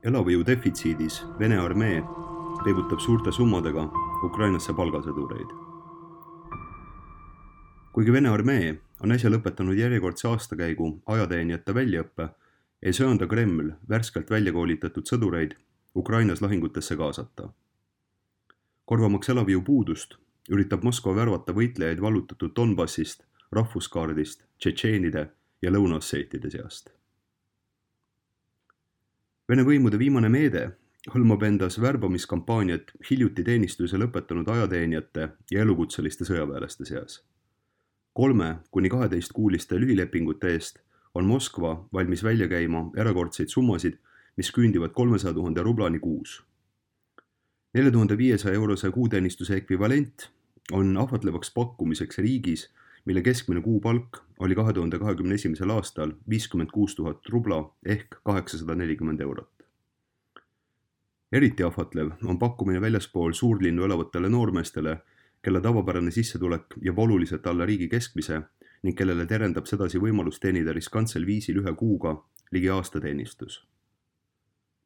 Elavjõu defitsiidis Vene armee peibutab suurte summadega Ukrainasse palgasõdureid. Kuigi Vene armee on äsja lõpetanud järjekordse aastakäigu ajateenijate väljaõppe, ei söanda Kreml värskelt välja koolitatud sõdureid Ukrainas lahingutesse kaasata. Korvamaks elavjõu puudust, üritab Moskva värvata võitlejaid vallutatud Donbassist, rahvuskaardist, tšetšeenide ja lõunaosseetide seast. Vene võimude viimane meede hõlmab endas värbamiskampaaniat hiljuti teenistuse lõpetanud ajateenijate ja elukutseliste sõjaväelaste seas. 3–12 lühilepingute eest on Moskva valmis välja käima erakordseid summasid, mis küündivad 300 000 rublani kuus. 4500 eurose kuuteenistuse ekvivalent on ahvatlevaks pakkumiseks riigis, mille keskmine kuupalk oli 2021. aastal 56 000 rubla ehk 840 eurot. Eriti ahvatlev on pakkumine väljaspool suurlinnu elavatele noormeestele, kelle tavapärane sissetulek jääb oluliselt alla riigi keskmise ning kellele terendab sedasi võimalus teenida riskantsel viisil ühe kuuga ligi aastateenistus.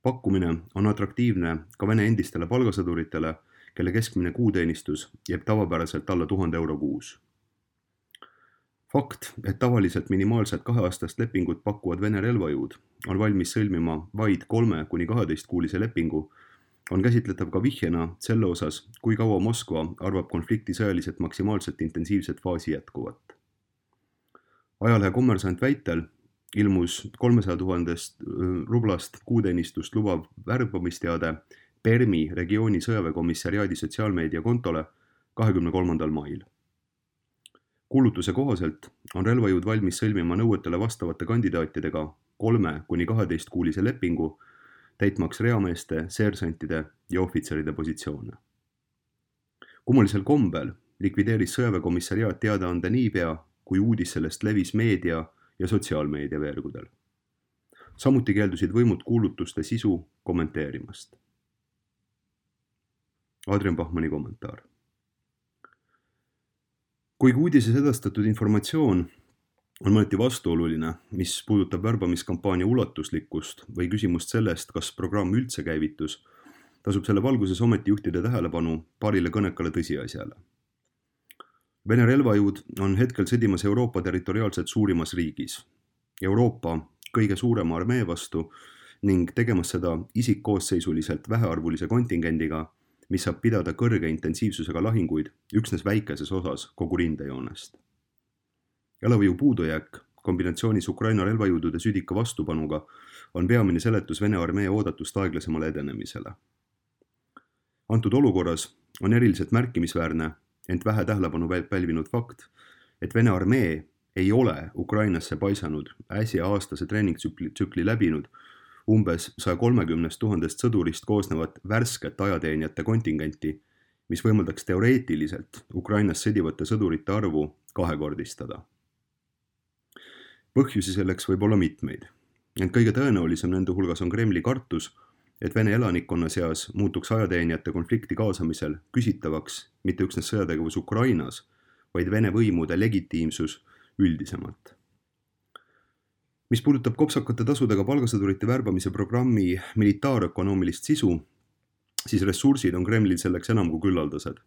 Pakkumine on atraktiivne ka Vene endistele palgasõduritele, kelle keskmine kuuteenistus jääb tavapäraselt alla 1000 euro kuus. Fakt, et tavaliselt minimaalselt 2-aastast lepingut pakkuvad Vene relvajõud on valmis sõlmima vaid 3–12-kuulise lepingu, on käsitletav ka vihjena selle osas, kui kaua Moskva arvab konflikti sõjaliselt maksimaalselt intensiivset faasi jätkuvat. Ajalehe Kommersant väitel ilmus 300 000 rublast kuuteenistust lubav värbamisteade Permi regiooni sõjaväekomissariaadi sotsiaalmeedia kontole 23. mail. Kuulutuse kohaselt on relvajõud valmis sõlmima nõuetele vastavate kandidaatidega 3–12-kuulise lepingu, täitmaks reameeste, seersantide ja ohvitseride positsioone. Kummalisel kombel likvideeris sõjaväekomissariaat teadaande niipea, kui uudis sellest levis meedia ja sotsiaalmeedia veergudel. Samuti keeldusid võimud kuulutuste sisu kommenteerimast. Adrian Bachmanni kommentaar. Kuigi uudises edastatud informatsioon on mõneti vastuoluline, mis puudutab värbamiskampaania ulatuslikkust või küsimust sellest, kas programm üldse käivitus, tasub selle valguses ometi juhtida tähelepanu paarile kõnekale tõsiasjale. Vene relvajõud on hetkel sõdimas Euroopa territoriaalselt suurimas riigis, Euroopa kõige suurema armee vastu ning tegemas seda isikkoosseisuliselt vähearvulise kontingendiga, mis saab pidada kõrge intensiivsusega lahinguid üksnes väikeses osas kogu rindejoonest. Elavjõu puudujääk kombinatsioonis Ukraina relvajõudude südika vastupanuga on peamine seletus Vene armee oodatust aeglasemale edenemisele. Antud olukorras on eriliselt märkimisväärne, ent vähe tähelepanu pälvinud fakt, et Vene armee ei ole Ukrainasse paisanud äsja aastase treeningtsükli läbinud umbes 130 000 sõdurist koosnevat värsket ajateenijate kontingenti, mis võimaldaks teoreetiliselt Ukrainas sõdivate sõdurite arvu kahekordistada. Põhjusi selleks võib olla mitmeid, ent kõige tõenäolisem nende hulgas on Kremli kartus, et Vene elanikkonna seas muutuks ajateenijate konflikti kaasamisel küsitavaks mitte üksnes sõjategevus Ukrainas, vaid Vene võimude legitiimsus üldisemalt. Mis puudutab kopsakate tasudega palgasõdurite värbamise programmi militaarökonoomilist sisu, siis ressursid on Kremlil selleks enam kui küllaldased.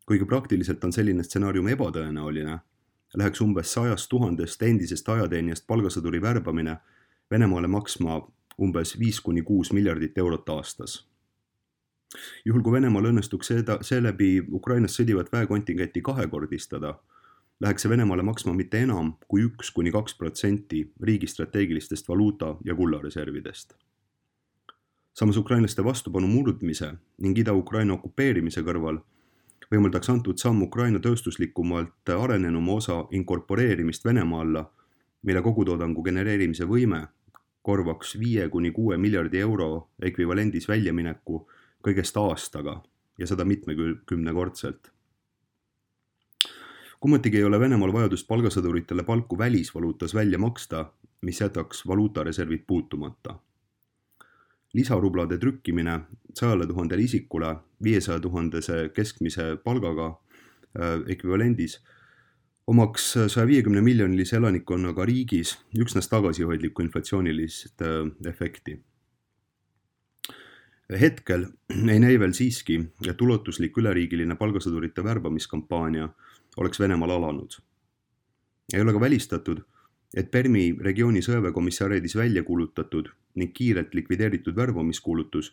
Kuigi praktiliselt on selline stsenaarium ebatõenäoline, läheks umbes 100 000 endisest ajateenijast palgasõduri värbamine Venemaale maksma umbes 5–6 miljardit eurot aastas. Juhul kui Venemaal õnnestuks seeläbi Ukrainas sõdivat väekontingenti kahekordistada, läheks see Venemaale maksma mitte enam kui 1–2% riigi strateegilistest valuuta- ja kullareservidest. Samas ukrainlaste vastupanu murdmise ning Ida-Ukraina okupeerimise kõrval võimaldaks antud samm Ukraina tööstuslikumalt arenenuma osa inkorporeerimist Venemaa alla, mille kogutoodangu genereerimise võime korvaks 5–6 miljardi euro ekvivalendis väljamineku kõigest aastaga ja seda mitmekümnekordselt. Kummatigi ei ole Venemaal vajadust palgasõduritele palku välisvaluutas välja maksta, mis jätaks valuutareservid puutumata. Lisarublade trükkimine 100 000 isikule 500 000 keskmise palgaga ekvivalendis omaks 150 miljonilise elanikkonnaga riigis üksnes tagasihoidlikku inflatsioonilist efekti. Hetkel ei näi veel siiski, et ulatuslik üleriigiline palgasõdurite värbamiskampaania oleks Venemaal alanud. Ei ole ka välistatud, et Permi regiooni sõjaväekomissariadis välja kuulutatud ning kiirelt likvideeritud värbamiskuulutus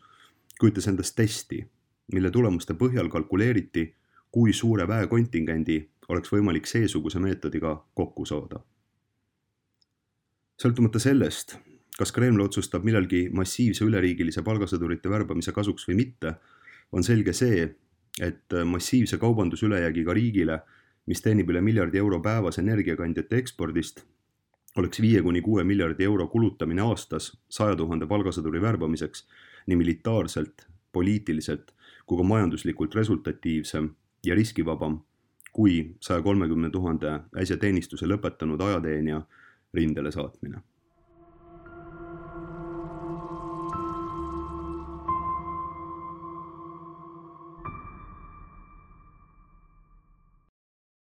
kujutas endast testi, mille tulemuste põhjal kalkuleeriti, kui suure väekontingendi oleks võimalik seesuguse meetodiga kokku saada. Sõltumata sellest, kas Kreml otsustab millalgi massiivse üleriigilise palgasõdurite värbamise kasuks või mitte, on selge see, et massiivse kaubandusülejäägiga riigile, mis teenib üle miljardi euro päevas energiakandjate ekspordist, oleks 5–6 miljardi euro kulutamine aastas 100 000 palgasõduri värbamiseks nii militaarselt, poliitiliselt kui ka majanduslikult resultatiivsem ja riskivabam kui 130 000 äsja teenistuse lõpetanud ajateenija rindele saatmine.